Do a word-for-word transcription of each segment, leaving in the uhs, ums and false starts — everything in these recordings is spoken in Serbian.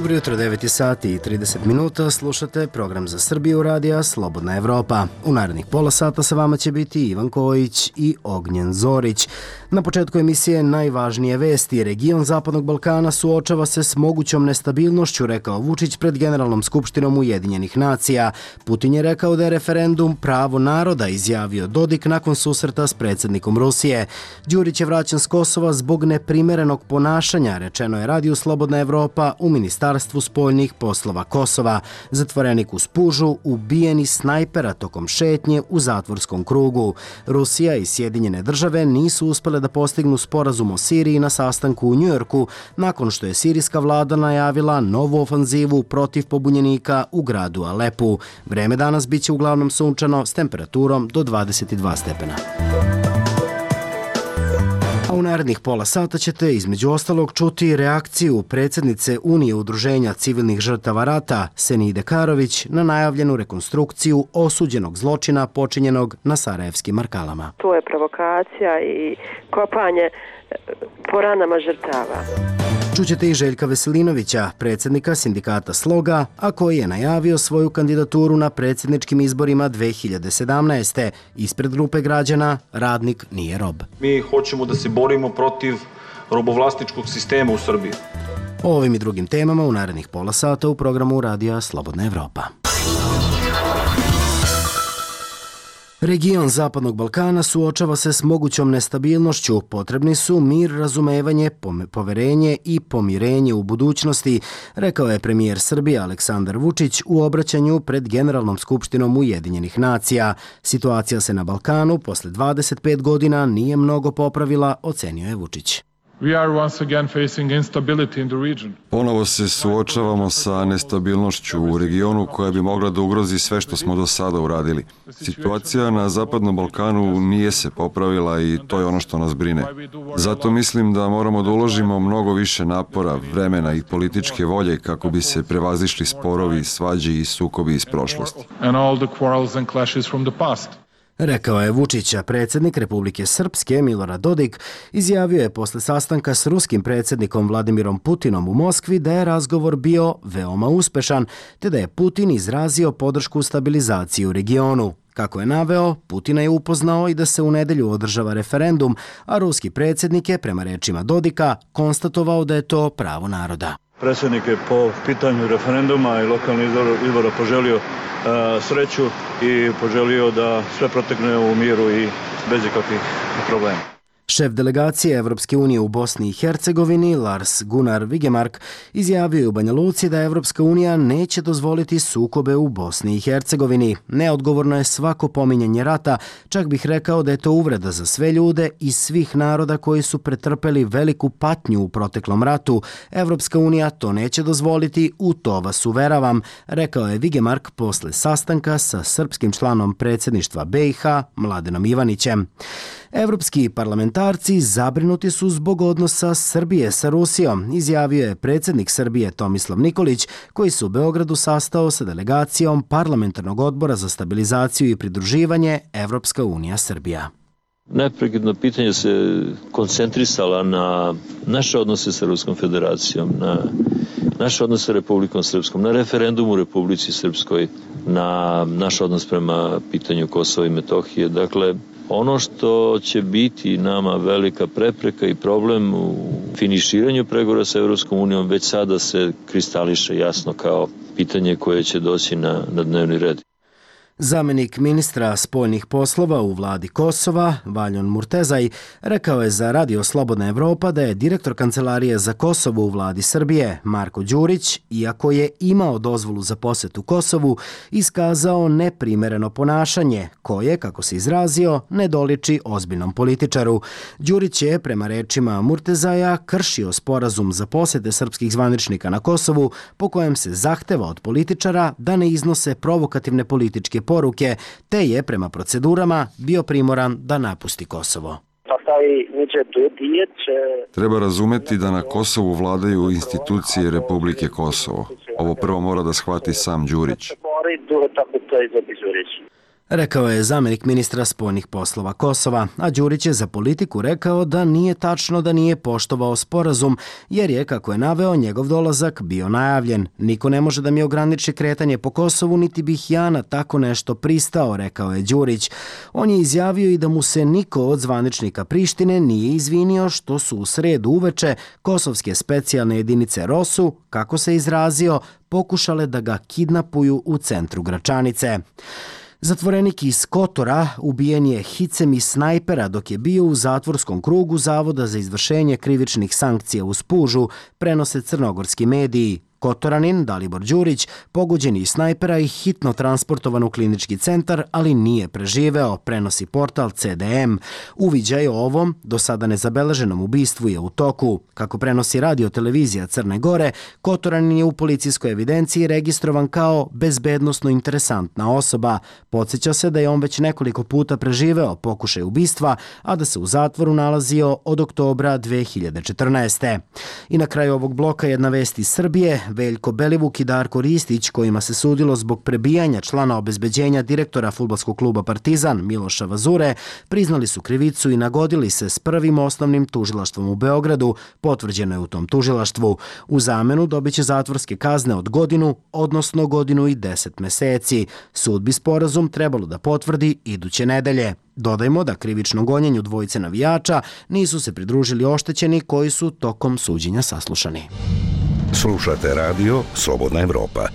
Dobro jutro, devet sati i trideset minuta, slušate program za Srbiju radija Slobodna Evropa. U narednih pola sata sa vama će biti Ivan Kojić i Ognjen Zorić. Na početku emisije najvažnije vesti. Region Zapadnog Balkana suočava se s mogućom nestabilnošću, rekao Vučić pred Generalnom skupštinom Ujedinjenih nacija. Putin je rekao da je referendum pravo naroda, izjavio Dodik nakon susreta s predsjednikom Rusije. Đurić je vraćan s Kosova zbog neprimerenog ponašanja, rečeno je radiju Slobodna Evropa u Ministarstvu spoljnih poslova Kosova. Zatvorenik u Spužu ubijen iz snajpera tokom šetnje u zatvorskom krugu. Rusija i Sjedinjene države nisu uspele da postignu sporazum o Siriji na sastanku u Njujorku nakon što je sirijska vlada najavila novu ofanzivu protiv pobunjenika u gradu Alepu. Vreme danas biće uglavnom sunčano s temperaturom do dvadeset dva stepena. A u narednih pola sata ćete između ostalog čuti reakciju predsjednice Unije udruženja civilnih žrtava rata Senide Karović na najavljenu rekonstrukciju osuđenog zločina počinjenog na sarajevskim Markalama. To je provokacija i kopanje po ranama žrtava. Čućete i Željka Veselinovića, predsjednika sindikata Sloga, a koji je najavio svoju kandidaturu na predsjedničkim izborima dve hiljade sedamnaeste. Ispred grupe građana Radnik nije rob. Mi hoćemo da se borimo protiv robovlasničkog sistema u Srbiji. O ovim i drugim temama u narednih pola sata u programu Radija Slobodna Evropa. Region Zapadnog Balkana suočava se s mogućom nestabilnošću. Potrebni su mir, razumevanje, poverenje i pomirenje u budućnosti, rekao je premijer Srbije Aleksandar Vučić u obraćanju pred Generalnom skupštinom Ujedinjenih nacija. Situacija se na Balkanu posle dvadeset pet godina nije mnogo popravila, ocenio je Vučić. Ponovo se suočavamo sa nestabilnošću u regionu koja bi mogla da ugrozi sve što smo do sada uradili. Situacija na Zapadnom Balkanu nije se popravila i to je ono što nas brine. Zato mislim da moramo da uložimo mnogo više napora, vremena i političke volje kako bi se prevazišli sporovi, svađe i sukobi iz prošlosti. Rekao je Vučića. Predsjednik Republike Srpske Milorad Dodik izjavio je posle sastanka s ruskim predsjednikom Vladimirom Putinom u Moskvi da je razgovor bio veoma uspešan, te da je Putin izrazio podršku stabilizaciji u regionu. Kako je naveo, Putina je upoznao i da se u nedelju održava referendum, a ruski predsjednik je, prema rečima Dodika, konstatovao da je to pravo naroda. Predsjednik je po pitanju referenduma i lokalnih izbora poželio uh, sreću i poželio da sve protekne u miru i bez ikakvih problema. Šef delegacije Evropske unije u Bosni i Hercegovini, Lars Gunnar Vigemark, izjavio je u Banja Luci da Evropska unija neće dozvoliti sukobe u Bosni i Hercegovini. Neodgovorno je svako pominjanje rata, čak bih rekao da je to uvreda za sve ljude i svih naroda koji su pretrpeli veliku patnju u proteklom ratu. Evropska unija to neće dozvoliti, u to vas uveravam, rekao je Vigemark posle sastanka sa srpskim članom predsjedništva B i H, Mladenom Ivanićem. Evropski parlamentarci zabrinuti su zbog odnosa Srbije sa Rusijom, izjavio je predsjednik Srbije Tomislav Nikolić, koji se u Beogradu sastao sa delegacijom Parlamentarnog odbora za stabilizaciju i pridruživanje Evropska unija Srbija. Neprekidno pitanje se koncentrisala na naše odnose sa Ruskom federacijom, na naše odnose sa Republikom Srpskom, na referendumu u Republici Srpskoj, na naš odnos prema pitanju Kosova i Metohije. Dakle, ono što će biti nama velika prepreka i problem u finiširanju pregovora sa Evropskom unijom već sada se kristališe jasno kao pitanje koje će doći na, na dnevni red. Zamenik ministra spoljnih poslova u vladi Kosova, Valjon Murtezaj, rekao je za Radio Slobodna Evropa da je direktor Kancelarije za Kosovo u vladi Srbije, Marko Đurić, iako je imao dozvolu za posetu Kosovu, iskazao neprimereno ponašanje koje, kako se izrazio, ne doliči ozbiljnom političaru. Đurić je, prema rečima Murtezaja, kršio sporazum za posete srpskih zvaničnika na Kosovu, po kojem se zahteva od političara da ne iznose provokativne političke poruke, te je prema procedurama bio primoran da napusti Kosovo. Treba razumeti da na Kosovu vladaju institucije Republike Kosovo. Ovo prvo mora da shvati sam Đurić. Rekao je zamjenik ministra spoljnih poslova Kosova, a Đurić je za Politiku rekao da nije tačno da nije poštovao sporazum, jer je, kako je naveo, njegov dolazak bio najavljen. Niko ne može da mi ograniči kretanje po Kosovu, niti bih ja na tako nešto pristao, rekao je Đurić. On je izjavio i da mu se niko od zvaničnika Prištine nije izvinio što su u sredu uveče kosovske specijalne jedinice ROSU, kako se izrazio, pokušale da ga kidnapuju u centru Gračanice. Zatvorenik iz Kotora ubijen je hicem iz snajpera dok je bio u zatvorskom krugu Zavoda za izvršenje krivičnih sankcija u Spužu, prenose crnogorski mediji. Kotoranin, Dalibor Đurić, pogođen iz snajpera i hitno transportovan u klinički centar, ali nije preživeo, prenosi portal C D M. Uviđaj o ovom, do sada nezabeleženom ubistvu je u toku. Kako prenosi radio-televizija Crne Gore, Kotoranin je u policijskoj evidenciji registrovan kao bezbednosno interesantna osoba. Podsjeća se da je on već nekoliko puta preživeo pokušaj ubistva, a da se u zatvoru nalazio od oktobra dve hiljade četrnaeste. I na kraju ovog bloka jedna vest iz Srbije. Veljko Belivuk i Darko Ristić, kojima se sudilo zbog prebijanja člana obezbeđenja direktora fudbalskog kluba Partizan Miloša Vazure, priznali su krivicu i nagodili se s prvim osnovnim tužilaštvom u Beogradu, potvrđeno je u tom tužilaštvu. U zamenu dobit će zatvorske kazne od godinu, odnosno godinu i deset meseci. Sud bi sporazum trebalo da potvrdi iduće nedelje. Dodajmo da krivično gonjenju dvojice navijača nisu se pridružili oštećeni koji su tokom suđenja saslušani. Slušate radio Slobodna Evropa.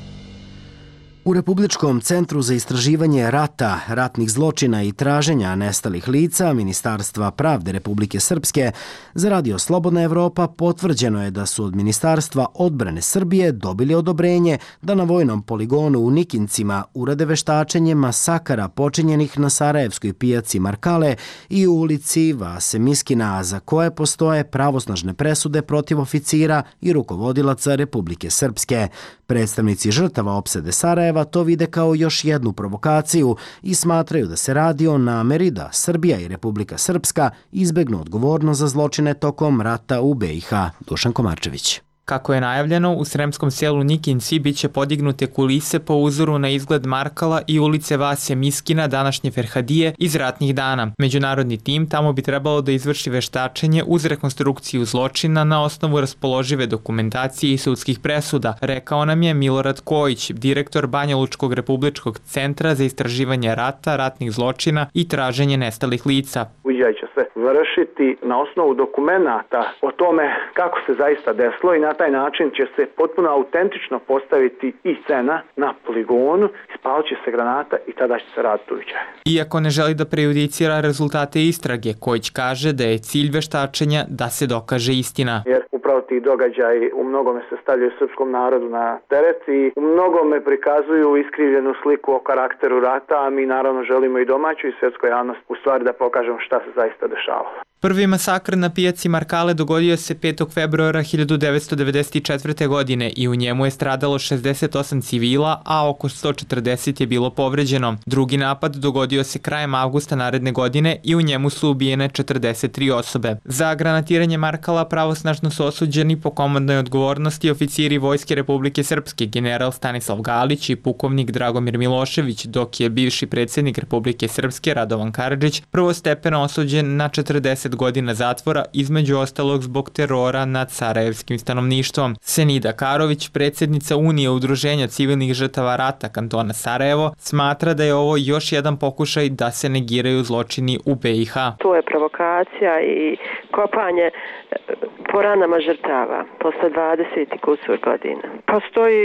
U Republičkom centru za istraživanje rata, ratnih zločina i traženja nestalih lica Ministarstva pravde Republike Srpske za radio Slobodna Evropa potvrđeno je da su od Ministarstva odbrane Srbije dobili odobrenje da na vojnom poligonu u Nikincima urade veštačenje masakara počinjenih na Sarajevskoj pijaci Markale i u ulici Vase Miskina, za koje postoje pravosnažne presude protiv oficira i rukovodilaca Republike Srpske. Predstavnici žrtava opsade Sarajeva to vide kao još jednu provokaciju i smatraju da se radi o nameri da Srbija i Republika Srpska izbegnu odgovornost za zločine tokom rata u B i H. Dušan Komarčević. Kako je najavljeno, u sremskom selu Nikinci biće podignute kulise po uzoru na izgled Markala i ulice Vase Miskina, današnje Ferhadije, iz ratnih dana. Međunarodni tim tamo bi trebalo da izvrši veštačenje uz rekonstrukciju zločina na osnovu raspoložive dokumentacije i sudskih presuda, rekao nam je Milorad Kojić, direktor Banja Lučkog republičkog centra za istraživanje rata, ratnih zločina i traženje nestalih lica. Uviđaj će se vršiti na osnovu dokumenata o tome kako se zaista desilo i na taj način će se potpuno autentično postaviti i scena na poligonu, ispalit će se granata i tada će se raditi uviđaj. Iako ne želi da prejudicira rezultate istrage, Kojić kaže da je cilj veštačenja da se dokaže istina. Jer upravo ti događaji u mnogome se stavljaju srpskom narodu na teret i u mnogome prikazuju iskrivljenu sliku o karakteru rata, a mi naravno želimo i domaću i svjetsku javnost u stvari da pokažemo šta se zaista dešava. Prvi masakr na pijaci Markale dogodio se petog februara hiljadu devetsto devedeset četvrte. godine i u njemu je stradalo šezdeset osam civila, a oko sto četrdeset je bilo povređeno. Drugi napad dogodio se krajem avgusta naredne godine i u njemu su ubijene četrdeset tri osobe. Za granatiranje Markala pravosnažno su osuđeni po komandnoj odgovornosti oficiri Vojske Republike Srpske, general Stanislav Galić i pukovnik Dragomir Milošević, dok je bivši predsjednik Republike Srpske Radovan Karadžić prvostepeno osuđen na četrdeset godina zatvora, između ostalog zbog terora nad sarajevskim stanovništvom. Senida Karović, predsjednica Unije udruženja civilnih žrtava rata kantona Sarajevo, smatra da je ovo još jedan pokušaj da se negiraju zločini u B i H. To je provokacija i kopanje po ranama žrtava posle dvadeset i kusur godina. Postoji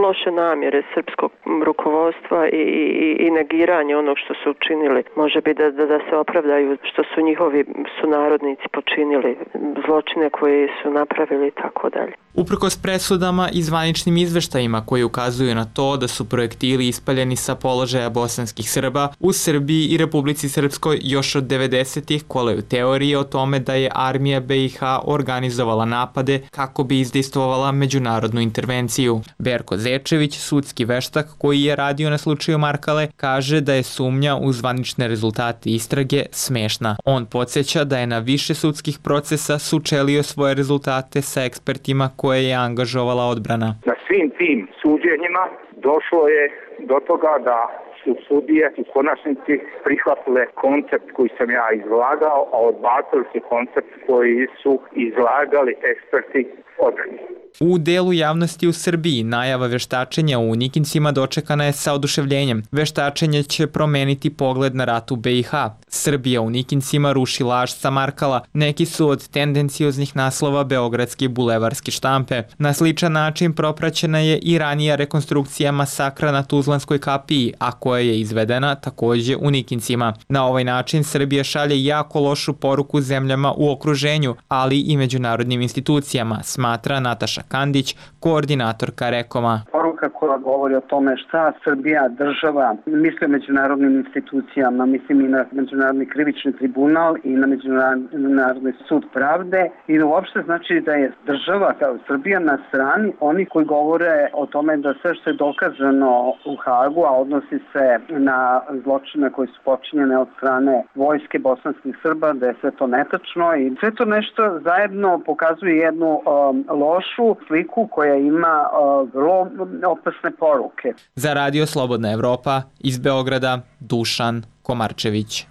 loše namjere srpskog rukovodstva i, i, i negiranje onog što su učinili. Može biti da, da, da se opravdaju što su njihovi sunarodnici počinili, zločine koje su napravili i tako dalje. Uprkos presudama i zvaničnim izveštajima koji ukazuju na to da su projektili ispaljeni sa položaja bosanskih Srba, u Srbiji i Republici Srpskoj još od devedesetih kolaju teorije o tome da je armija B i H organizovala napade kako bi izdejstvovala međunarodnu intervenciju. Berko Zečević, sudski veštak koji je radio na slučaju Markale, kaže da je sumnja u zvanične rezultate istrage smešna. On podsjeća da je na više sudskih procesa sučelio svoje rezultate sa ekspertima koje je angažovala odbrana. Na svim tim suđenjima došlo je do toga da su sudije u konačnici prihvatile koncept koji sam ja izlagao, a odbacili su koncept koji su izlagali eksperti odbrani. U delu javnosti u Srbiji najava veštačenja u Nikincima dočekana je sa oduševljenjem. Veštačenje će promeniti pogled na rat u be i ha. Srbija u Nikincima ruši laž sa Markala. Neki su od tendencioznih naslova beogradske i bulevarske štampe. Na sličan način propraćena je i ranija rekonstrukcija masakra na Tuzlanskoj kapiji, a koja je izvedena takođe u Nikincima. Na ovaj način Srbija šalje jako lošu poruku zemljama u okruženju, ali i međunarodnim institucijama, smatra Nataša Kandić, koordinatorka Rekoma. Poruka koja govori o tome šta Srbija, država, misli o međunarodnim institucijama, mislim i na Međunarodni krivični tribunal i na Međunarodni sud pravde i uopšte znači da je država kao Srbija na strani oni koji govore o tome da sve što je dokazano u Hagu, a odnosi se na zločine koji su počinjene od strane vojske bosanskih Srba, da je sve to netačno i sve to nešto zajedno pokazuje jednu um, lošu sliku koja ima uh, vrlo opasne poruke. Za Radio Slobodna Evropa iz Beograda, Dušan Komarčević.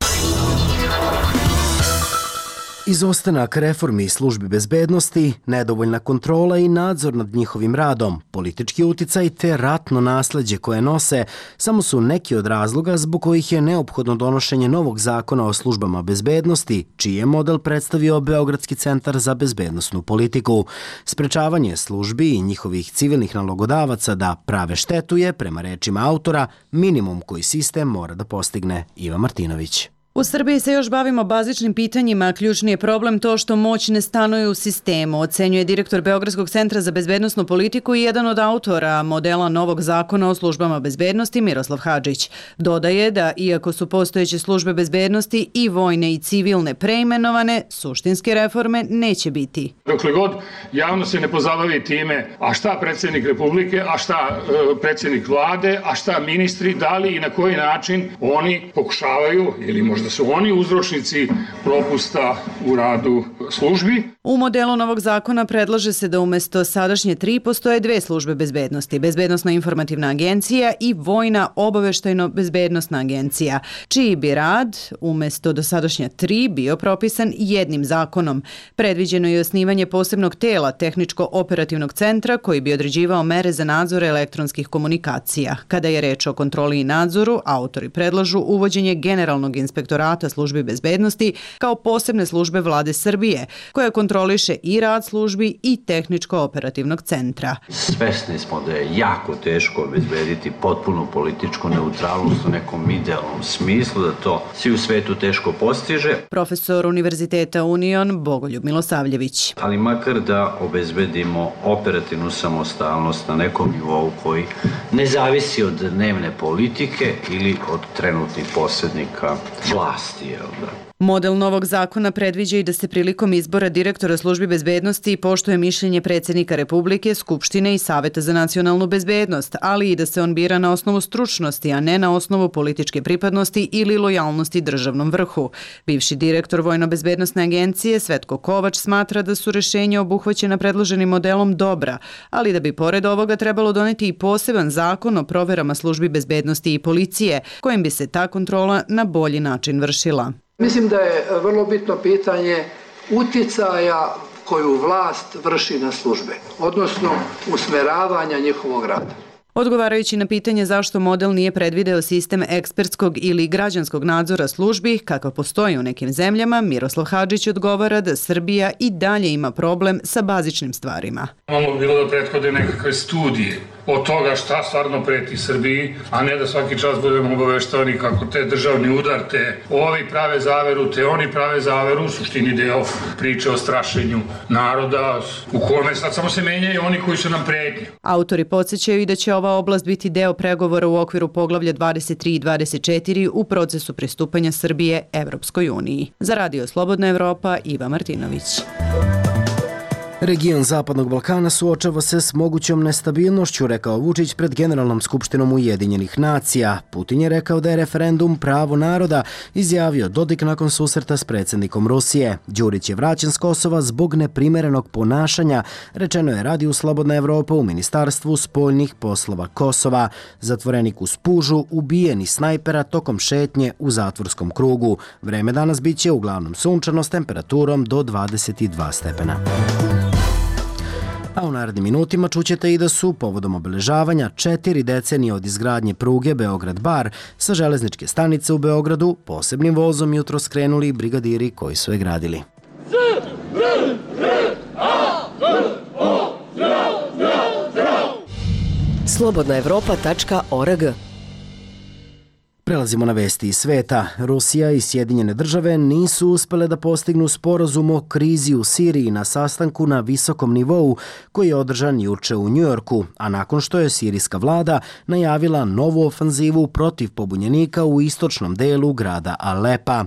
Izostanak reformi službi bezbednosti, nedovoljna kontrola i nadzor nad njihovim radom, politički uticaj te ratno nasleđe koje nose samo su neki od razloga zbog kojih je neophodno donošenje novog zakona o službama bezbednosti, čiji je model predstavio Beogradski centar za bezbednosnu politiku. Sprečavanje službi i njihovih civilnih nalogodavaca da prave štetu je, prema rečima autora, minimum koji sistem mora da postigne. Iva Martinović. U Srbiji se još bavimo bazičnim pitanjima, a ključni je problem to što moć ne stanuje u sistemu, ocenjuje direktor Beogradskog centra za bezbednosnu politiku i jedan od autora modela novog zakona o službama bezbednosti Miroslav Hadžić. Dodaje da, iako su postojeće službe bezbednosti i vojne i civilne preimenovane, suštinske reforme neće biti. Dokle god javno se ne pozabavi time, a šta predsjednik Republike, a šta e, predsjednik vlade, a šta ministri, da li i na koji način oni pokušavaju ili možda da su oni uzročnici propusta u radu službi. U modelu novog zakona predlaže se da umesto sadašnje tri postoje dve službe bezbednosti, Bezbednosna informativna agencija i Vojna obaveštajno-bezbednosna agencija, čiji bi rad umesto dosadašnja tri bio propisan jednim zakonom. Predviđeno je osnivanje posebnog tela tehničko-operativnog centra koji bi određivao mere za nadzor elektronskih komunikacija. Kada je reč o kontroli i nadzoru, autori predlažu uvođenje generalnog inspektora službi bezbednosti kao posebne službe vlade Srbije, koja kontroliše i rad službi i tehničko-operativnog centra. Svesni smo da je jako teško obezbediti potpunu političku neutralnost u nekom idealnom smislu, da to svi u svetu teško postiže. Profesor Univerziteta Union Bogoljub Milosavljević. Ali makar da obezbedimo operativnu samostalnost na nekom nivou koji ne zavisi od dnevne politike ili od trenutnih posrednika vlasti, jel da? Model novog zakona predviđa i da se prilikom izbora direktora službi bezbednosti poštuje mišljenje predsjednika Republike, Skupštine i Saveta za nacionalnu bezbednost, ali i da se on bira na osnovu stručnosti, a ne na osnovu političke pripadnosti ili lojalnosti državnom vrhu. Bivši direktor Vojno-bezbednosne agencije Svetko Kovač smatra da su rešenja obuhvaćena predloženim modelom dobra, ali da bi pored ovoga trebalo doneti i poseban zakon o proverama službi bezbednosti i policije, kojim bi se ta kontrola na bolji način vršila. Mislim da je vrlo bitno pitanje utjecaja koju vlast vrši na službe, odnosno usmeravanja njihovog rada. Odgovarajući na pitanje zašto model nije predvideo sistem ekspertskog ili građanskog nadzora službi, kakav postoji u nekim zemljama, Miroslav Hadžić odgovara da Srbija i dalje ima problem sa bazičnim stvarima. Imamo bilo da prethode nekakve studije od toga šta stvarno preti Srbiji, a ne da svaki čas budemo obaveštavani kako te državni udar, te ovi prave zaveru, te oni prave zaveru, u suštini deo priče o strašenju naroda, u kome sad samo se menjaju oni koji su nam pretnji. Autori podsjećaju i da će ova oblast biti deo pregovora u okviru poglavlja dvadeset tri i dvadeset četiri u procesu pristupanja Srbije Evropskoj uniji. Za Radio Slobodna Evropa, Iva Martinović. Region Zapadnog Balkana suočava se s mogućom nestabilnošću, rekao Vučić pred Generalnom skupštinom Ujedinjenih nacija. Putin je rekao da je referendum pravo naroda, izjavio Dodik nakon susreta s predsjednikom Rusije. Đurić je vraćen s Kosova zbog neprimerenog ponašanja, rečeno je Radiju Slobodna Evropa u Ministarstvu spoljnih poslova Kosova. Zatvorenik u Spužu ubijen iz snajpera tokom šetnje u zatvorskom krugu. Vreme danas biće uglavnom sunčano s temperaturom do dvadeset dva stepena. A u narednim minutima čućete i da su povodom obeležavanja četiri decenije od izgradnje pruge Beograd-Bar sa železničke stanice u Beogradu posebnim vozom jutro skrenuli brigadiri koji su je gradili. slobodna evropa tačka org. Prelazimo na vesti iz sveta. Rusija i Sjedinjene države nisu uspele da postignu sporazum o krizi u Siriji na sastanku na visokom nivou koji je održan juče u Njujorku, a nakon što je sirijska vlada najavila novu ofanzivu protiv pobunjenika u istočnom delu grada Alepa.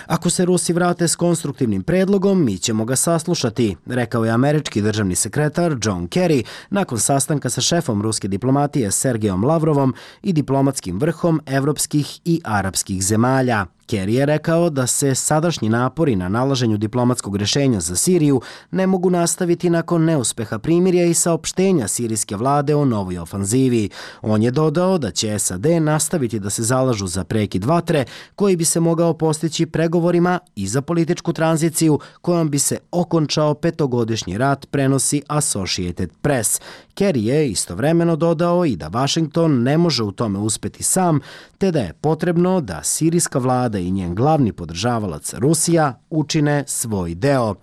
Ako se Rusi vrate s konstruktivnim predlogom, mi ćemo ga saslušati, rekao je američki državni sekretar John Kerry nakon sastanka sa šefom ruske diplomatije Sergejom Lavrovom i diplomatskim vrhom evropskih i arapskih zemalja. Kerry je rekao da se sadašnji napori na nalaženju diplomatskog rješenja za Siriju ne mogu nastaviti nakon neuspeha primirja i saopštenja sirijske vlade o novoj ofanzivi. On je dodao da će S A D nastaviti da se zalažu za prekid vatre koji bi se mogao postići pregovorima i za političku tranziciju kojom bi se okončao petogodišnji rat, prenosi Associated Press. Kerry je istovremeno dodao i da Washington ne može u tome uspeti sam, te da je potrebno da sirijska vlada i njen glavni podržavalac Rusija učine svoj deo.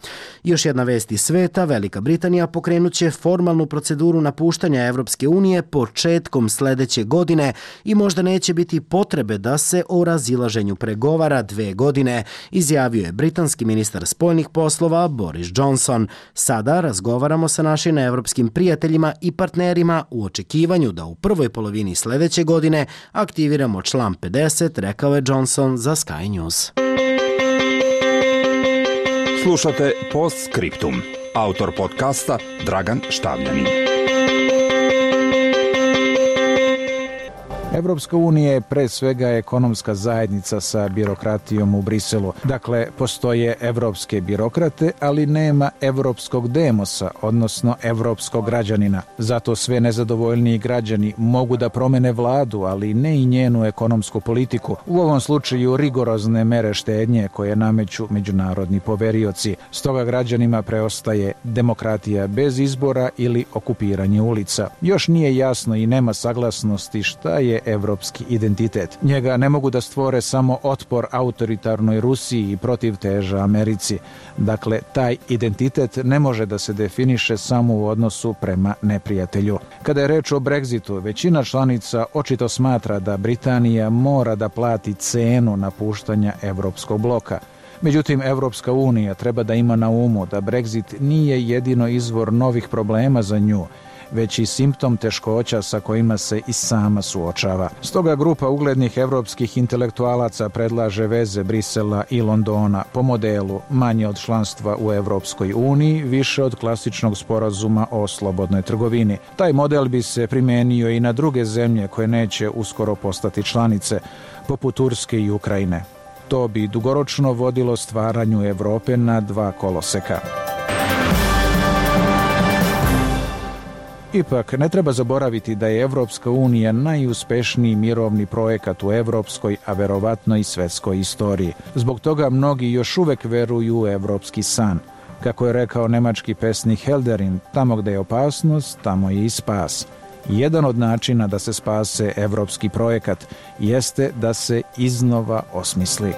Još jedna vest iz sveta, Velika Britanija pokrenut će formalnu proceduru napuštanja Evropske unije početkom sledeće godine i možda neće biti potrebe da se o razilaženju pregovara dve godine, izjavio je britanski ministar spoljnih poslova Boris Johnson. Sada razgovaramo sa našim evropskim prijateljima i partnerima u očekivanju da u prvoj polovini sledeće godine aktiviramo član pedeset, rekao je Johnson za Sky News. Slušate Postscriptum. Autor podcasta Dragan Štavljanin. Evropska unija je pre svega ekonomska zajednica sa birokratijom u Briselu. Dakle, postoje evropske birokrate, ali nema evropskog demosa, odnosno evropskog građanina. Zato sve nezadovoljniji građani mogu da promene vladu, ali ne i njenu ekonomsku politiku. U ovom slučaju rigorozne mere štednje koje nameću međunarodni poverioci. Stoga građanima preostaje demokratija bez izbora ili okupiranje ulica. Još nije jasno i nema saglasnosti šta je evropski identitet. Njega ne mogu da stvore samo otpor autoritarnoj Rusiji i protiv teža Americi. Dakle, taj identitet ne može da se definiše samo u odnosu prema neprijatelju. Kada je reč o Brexitu, većina članica očito smatra da Britanija mora da plati cenu napuštanja evropskog bloka. Međutim, Evropska unija treba da ima na umu da Brexit nije jedino izvor novih problema za nju, već i simptom teškoća sa kojima se i sama suočava. Stoga grupa uglednih evropskih intelektualaca predlaže veze Brisela i Londona po modelu manje od članstva u Evropskoj uniji, više od klasičnog sporazuma o slobodnoj trgovini. Taj model bi se primenio i na druge zemlje koje neće uskoro postati članice, poput Turske i Ukrajine. To bi dugoročno vodilo stvaranju Evrope na dva koloseka. Ipak, ne treba zaboraviti da je Evropska unija najuspešniji mirovni projekat u evropskoj, a verovatno i svetskoj istoriji. Zbog toga mnogi još uvek veruju u evropski san. Kako je rekao nemački pesnik Helderin, tamo gde je opasnost, tamo je i spas. Jedan od načina da se spase evropski projekat jeste da se iznova osmisli.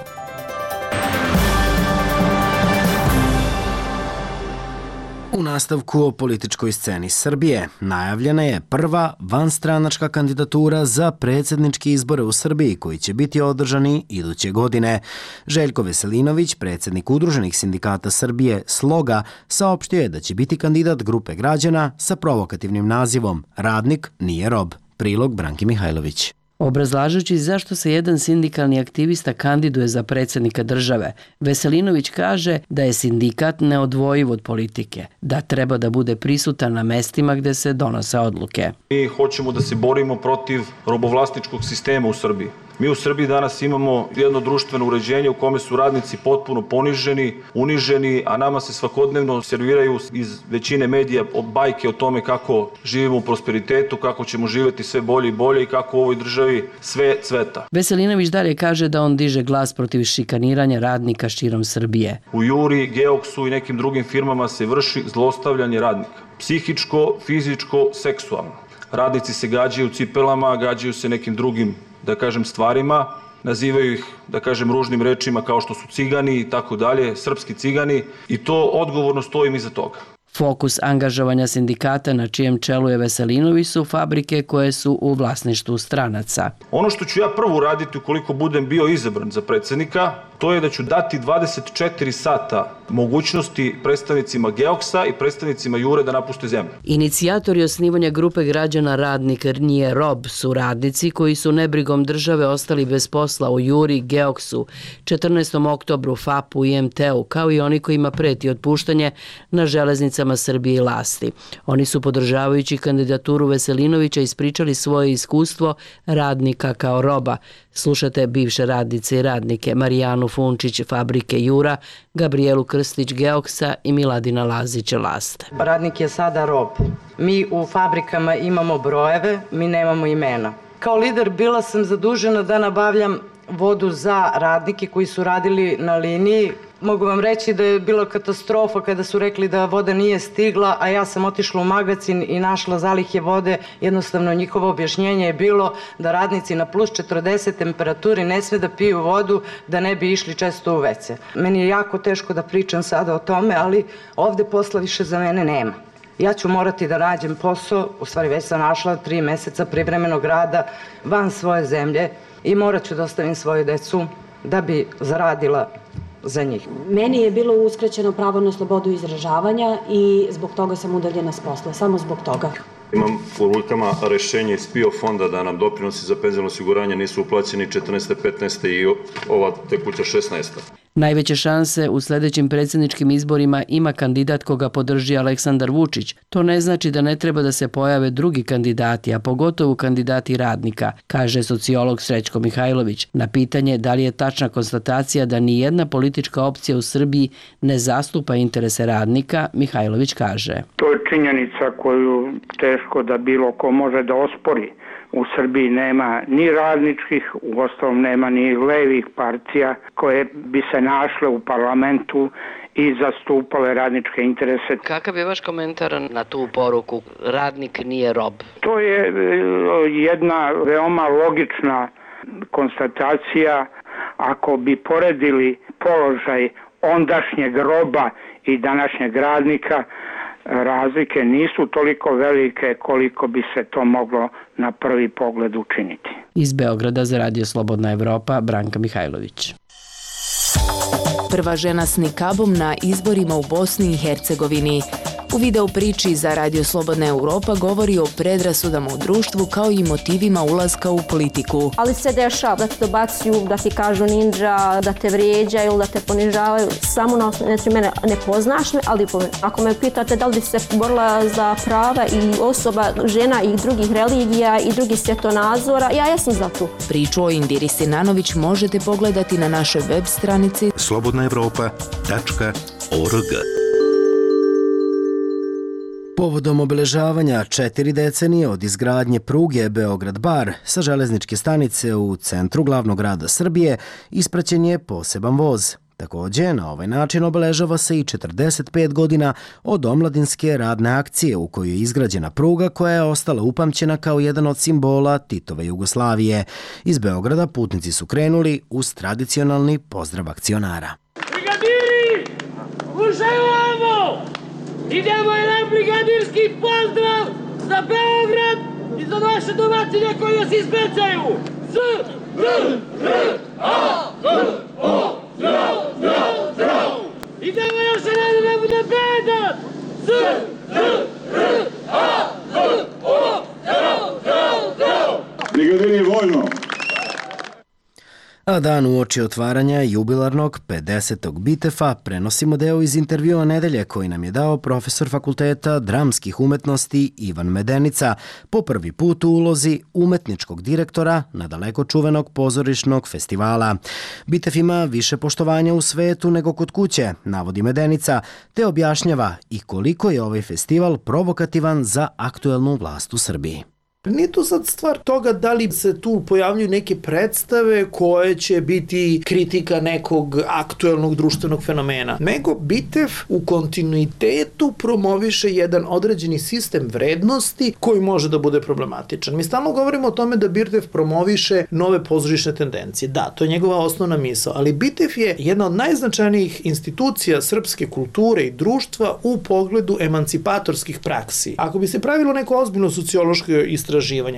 U nastavku o političkoj sceni Srbije najavljena je prva vanstranačka kandidatura za predsjedničke izbore u Srbiji koji će biti održani iduće godine. Željko Veselinović, predsjednik Udruženih sindikata Srbije Sloga, saopštio je da će biti kandidat grupe građana sa provokativnim nazivom Radnik nije rob. Prilog Branki Mihajlović. Obrazlažući zašto se jedan sindikalni aktivista kandiduje za predsjednika države, Veselinović kaže da je sindikat neodvojiv od politike, da treba da bude prisutan na mestima gde se donose odluke. Mi hoćemo da se borimo protiv robovlasničkog sistema u Srbiji. Mi u Srbiji danas imamo jedno društveno uređenje u kome su radnici potpuno poniženi, uniženi, a nama se svakodnevno serviraju iz većine medija bajke o tome kako živimo u prosperitetu, kako ćemo živjeti sve bolje i bolje i kako u ovoj državi sve cveta. Veselinović dalje kaže da on diže glas protiv šikaniranja radnika širom Srbije. U Juri, Geoksu i nekim drugim firmama se vrši zlostavljanje radnika. Psihičko, fizičko, seksualno. Radnici se gađaju cipelama, gađaju se nekim drugim, da kažem, stvarima, nazivaju ih, da kažem, ružnim rečima kao što su cigani i tako dalje, srpski cigani, i to odgovorno stojim iza toga. Fokus angažovanja sindikata na čijem čelu je Veselinović su fabrike koje su u vlasništvu stranaca. Ono što ću ja prvo uraditi ukoliko budem bio izabran za predsjednika, to je da ću dati dvadeset četiri sata mogućnosti predstavnicima Geoksa i predstavnicima Jure da napuste zemlju. Inicijatori osnivanja grupe građana Radnik nije rob su radnici koji su nebrigom države ostali bez posla u Juri, Geoksu, četrnaestom oktobru, F A P-u i M T-u, kao i oni kojima preti otpuštanje na železnicama Srbije i Lasti. Oni su, podržavajući kandidaturu Veselinovića, ispričali svoje iskustvo radnika kao roba. Slušate bivše radnice i radnike Marijanu Funčić, fabrike Jura, Gabrielu Krstić, Geoksa i Miladina Lazić, Laste. Radnik je sada rob. Mi u fabrikama imamo brojeve, mi nemamo imena. Kao lider bila sam zadužena da nabavljam vodu za radnike koji su radili na liniji. Mogu vam reći da je bila katastrofa kada su rekli da voda nije stigla, a ja sam otišla u magacin i našla zalihe vode. Jednostavno njihovo objašnjenje je bilo da radnici na plus četrdeset temperaturi ne sme da piju vodu da ne bi išli često u ve ce. Meni je jako teško da pričam sada o tome, ali ovde posla više za mene nema. Ja ću morati da nađem posao, u stvari već sam našla tri meseca privremenog rada van svoje zemlje i morat ću da ostavim svoju decu da bi zaradila za njih. Meni je bilo uskraćeno pravo na slobodu izražavanja i zbog toga sam udaljena s posla, samo zbog toga. Imam u rukama rešenje iz P I O fonda da nam doprinosi za penzijno osiguranje nisu uplaćeni četrnaeste, petnaeste i ova tekuća šesnaesta. Najveće šanse u sljedećim predsjedničkim izborima ima kandidat koga podrži Aleksandar Vučić. To ne znači da ne treba da se pojave drugi kandidati, a pogotovo kandidati radnika, kaže sociolog Srećko Mihajlović. Na pitanje da li je tačna konstatacija da ni jedna politička opcija u Srbiji ne zastupa interese radnika, Mihajlović kaže: To je činjenica koju teško da bilo ko može da ospori. U Srbiji nema ni radničkih, uostalom nema ni levih partija koje bi se našle u parlamentu i zastupale radničke interese. Kakav je vaš komentar na tu poruku radnik nije rob? To je jedna veoma logična konstatacija. Ako bi poredili položaj ondašnjeg roba i današnjeg radnika, razlike nisu toliko velike koliko bi se to moglo na prvi pogled učiniti. Iz Beograda za Radio Slobodna Evropa, Branka Mihajlović. Prva žena s nikabom na izborima u Bosni i Hercegovini. U video priči za Radio Slobodna Evropa govori o predrasudama u društvu kao i motivima ulaska u politiku. Ali se dešava da te dobacuju, da ti kažu ninja, da te vrijeđaju, da te ponižavaju. Samo na osnovu, znači mene ne poznaš me, ali ako me pitate da li bi se borila za prava i osoba, žena i drugih religija i drugih svjetonazora, ja jesam za to. Priču o Indiri Sinanović možete pogledati na našoj web stranici slobodna evropa tačka org. Povodom obeležavanja četiri decenije od izgradnje pruge Beograd-Bar sa železničke stanice u centru glavnog grada Srbije ispraćen je poseban voz. Također, na ovaj način obeležava se i četrdeset pet godina od omladinske radne akcije u kojoj je izgrađena pruga koja je ostala upamćena kao jedan od simbola Titove Jugoslavije. Iz Beograda putnici su krenuli uz tradicionalni pozdrav akcionara. Brigadiri, ušajamo! Idemo jedan brigadirski pozdrav za Beograd i za naše domaćine koji nas ispećaju. S, R, R, A, H, O, zdrav, zdrav, zdrav. Idemo još jedan da bude bedan. S, R, R, A, H, O, zdrav, zdrav, zdrav. Brigadiri vojno, A dan uoči otvaranja jubilarnog pedesetog Bitefa prenosimo deo iz intervjua nedelje koji nam je dao profesor Fakulteta dramskih umetnosti Ivan Medenica po prvi put u ulozi umetničkog direktora na daleko čuvenog pozorišnog festivala. Bitef ima više poštovanja u svetu nego kod kuće, navodi Medenica, te objašnjava i koliko je ovaj festival provokativan za aktuelnu vlast u Srbiji. Nije to sad stvar toga da li se tu pojavljuju neke predstave koje će biti kritika nekog aktuelnog društvenog fenomena, nego Bitef u kontinuitetu promoviše jedan određeni sistem vrednosti koji može da bude problematičan. Mi stalno govorimo o tome da Bitef promoviše nove pozorišne tendencije. Da, to je njegova osnovna misao, ali Bitef je jedna od najznačajnijih institucija srpske kulture i društva u pogledu emancipatorskih praksi. Ako bi se pravilo neko ozbiljno sociološko istraživanje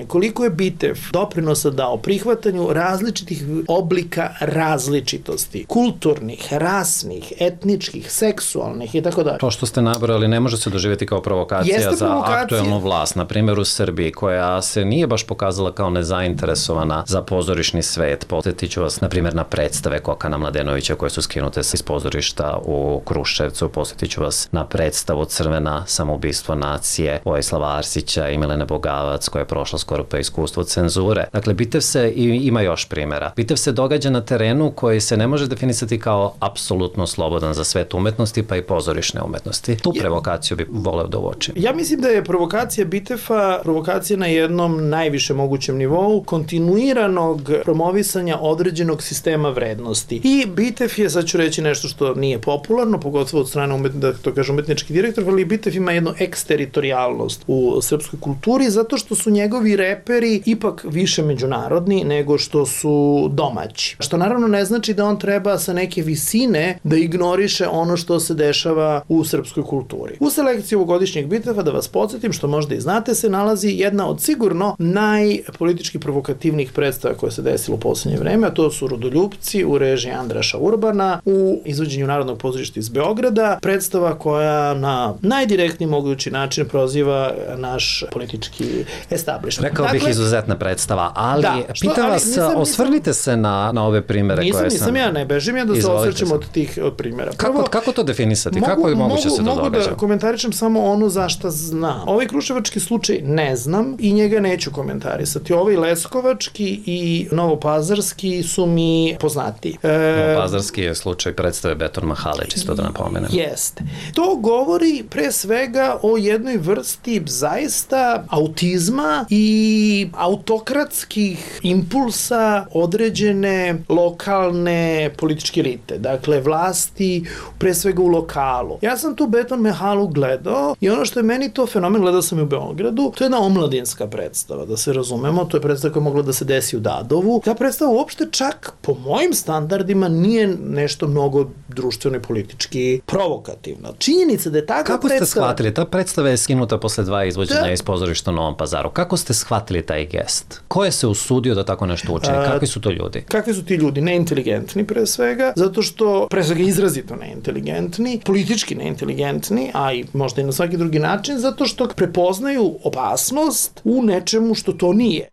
koliko je Bitef doprinosa dao prihvatanju različitih oblika različitosti, kulturnih, rasnih, etničkih, seksualnih i tako dalje. To što ste nabrali ne može se doživjeti kao provokacija Jeste za provokacija. Aktuelnu vlast, na primjer u Srbiji, koja se nije baš pokazala kao nezainteresovana za pozorišni svet. Podsjetit ću vas, na primjer, na predstave Kokana Mladenovića koje su skinute iz pozorišta u Kruševcu. Podsjetit ću vas na predstavu Crvena samoubistvo nacije Vojislava Arsića i Milene Bogavac, koja je prošla skoro pa iskustvo cenzure. Dakle, Bitef se, i ima još primjera, Bitef se događa na terenu koji se ne može definisati kao apsolutno slobodan za svet umetnosti, pa i pozorišne umetnosti. Tu provokaciju bi voleo da uočim. Ja mislim da je provokacija Bitefa provokacija na jednom najviše mogućem nivou kontinuiranog promovisanja određenog sistema vrednosti. I Bitef je, sad ću reći nešto što nije popularno, pogotovo od strane umetni, da to kaže umetnički direktor, ali Bitef ima jednu eksteritorijalnost u srpskoj kulturi, zato što su njegovi reperi ipak više međunarodni nego što su domaći. Što naravno ne znači da on treba sa neke visine da ignoriše ono što se dešava u srpskoj kulturi. U selekciji ovogodišnjeg Bitefa, da vas podsjetim, što možda i znate, se nalazi jedna od sigurno najpolitički provokativnijih predstava koje se desilo u poslednje vreme, a to su Rodoljupci u režiji Andraša Urbana u izvođenju Narodnog pozorišta iz Beograda, predstava koja na najdirektniji mogući način proziva naš politički establishment. Rekao bih dakle, izuzetna predstava, ali da, što, pitam ali vas, nisam, osvrnite nisam, se na, na ove primere nisam, koje sam... Nisam, nisam ja, ne bežim ja da se osvrćem od tih od primjera. Prvo, kako, kako to definisati? Mogu, kako je moguće mogu, se to mogu događa? Mogu da komentarišem samo ono za šta znam. Ovaj kruševački slučaj ne znam i njega neću komentarisati. Ovaj leskovački i novopazarski su mi poznati. E, novopazarski je slučaj predstave Beton Mahale, čisto da napomenem. Jeste. To govori pre svega o jednoj vrsti zaista autizma i autokratskih impulsa određene lokalne političke elite, dakle vlasti pre svega u lokalu. Ja sam tu Beton Mahalu gledao i ono što je meni to fenomen, gledao sam i u Beogradu, to je jedna omladinska predstava, da se razumemo, to je predstava koja je mogla da se desi u Dadovu. Ta predstava uopšte čak po mojim standardima nije nešto mnogo društveno i politički provokativna. Činjenica da je takva Kako predstava... ste shvatili? Ta predstava je skinuta posle dva izvođenja da. iz pozorišta u Novom Pazaru. Kako ste shvatili taj gest? Ko je se usudio da tako nešto učini? Kakvi su to ljudi? Kakvi su ti ljudi? Neinteligentni pre svega, zato što pre svega izrazito neinteligentni, politički neinteligentni, a i možda i na svaki drugi način, zato što prepoznaju opasnost u nečemu što to nije.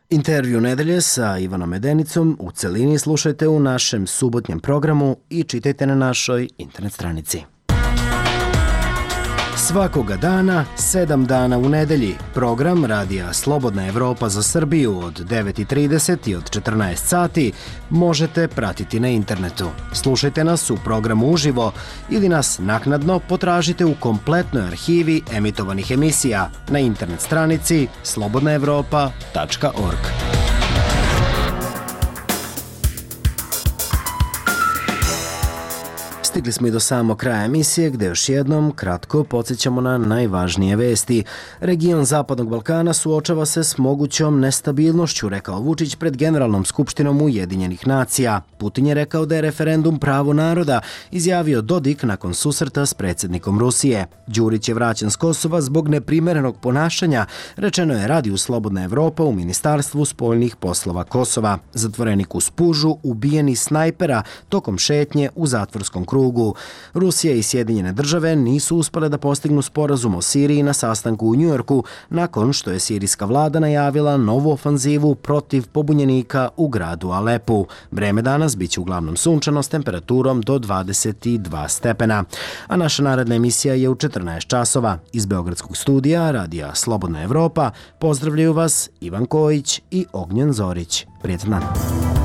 Intervju nedelje sa Ivanom Medenicom u celini slušajte u našem subotnjem programu i čitajte na našoj internet stranici. Svakoga dana, sedam dana u nedelji, program Radija Slobodna Evropa za Srbiju od devet i trideset i od četrnaest sati možete pratiti na internetu. Slušajte nas u programu uživo ili nas naknadno potražite u kompletnoj arhivi emitovanih emisija na internet stranici slobodna evropa tačka org. Stigli smo i do samog kraja emisije gde još jednom kratko podsjećamo na najvažnije vesti. Region Zapadnog Balkana suočava se s mogućom nestabilnošću, rekao Vučić pred Generalnom skupštinom Ujedinjenih nacija. Putin je rekao da je referendum pravo naroda, izjavio Dodik nakon susreta s predsjednikom Rusije. Đurić je vraćen s Kosova zbog neprimerenog ponašanja, rečeno je Radiju Slobodna Evropa u Ministarstvu spoljnih poslova Kosova. Zatvorenik u Spužu ubijen iz snajpera tokom šetnje u zatvorskom krugu jugu. Rusija i Sjedinjene države nisu uspale da postignu sporazum o Siriji na sastanku u Njujorku nakon što je sirijska vlada najavila novu ofanzivu protiv pobunjenika u gradu Alepu. Vreme danas biće uglavnom sunčano s temperaturom do dvadeset dva stepena. A naša naredna emisija je u četrnaest časova. Iz Beogradskog studija Radija Slobodna Evropa pozdravljaju vas Ivan Kojić i Ognjen Zorić. Prijetan dan.